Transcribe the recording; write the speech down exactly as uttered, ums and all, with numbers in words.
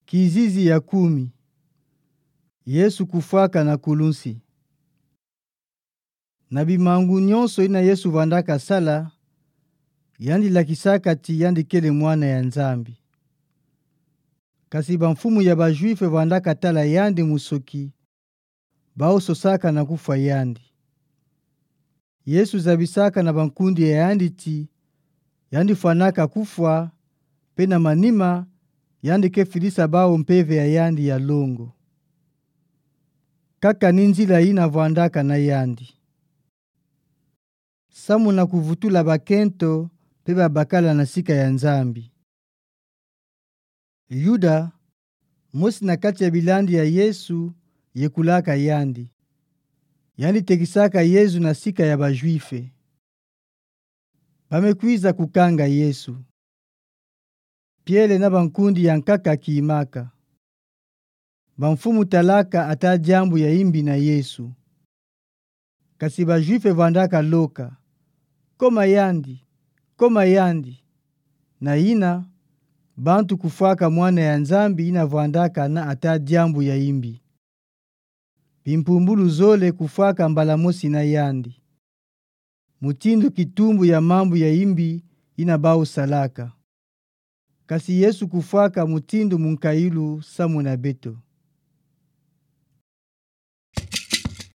Kizizi ya kumi. Yesu kufwaka na kulunsi. Na bimangu nyonso ina Yesu vwandaka sala, yandi lakisaka ti yandi kele Mwana ya Nzambi. Kasi bamfumu ya ba-Juife vwandaka tala yandi musoki, bawu sosaka na kufwa yandi. Yesu zabisaka na bankundi ya yandi ti, yandi fwanaka kufwa, pe na manima, yandi ke filisa bawu mpeve ya yandi ya longo. Kaka ni nzila ina vwandaka na yandi. Samu na kuvutula bakento pe babakala na sika ya Nzambi. Yuda, mosi na kati ya bilandi ya Yesu, yekulaka yandi. Yandi tekisaka Yezu na sika ya ba-Juife. Ba me kwiza kukanga Yesu. Piele na bankundi ya nkaka kimaka. Bamfumu talaka ata diambu ya imbi na Yesu. Kasi ba-Juife vwandaka loka: Koma yandi, koma yandi. Na ina, bantu kufwaka Mwana ya Nzambi ina vwandaka na ata diambu ya imbi. Bimpumbulu zole kufwaka mbala mosi na yandi. Mutindu kitumbu ya mambu ya imbi ina bawu salaka. Kasi Yesu kufwaka mutindu munkayulu samu na beto.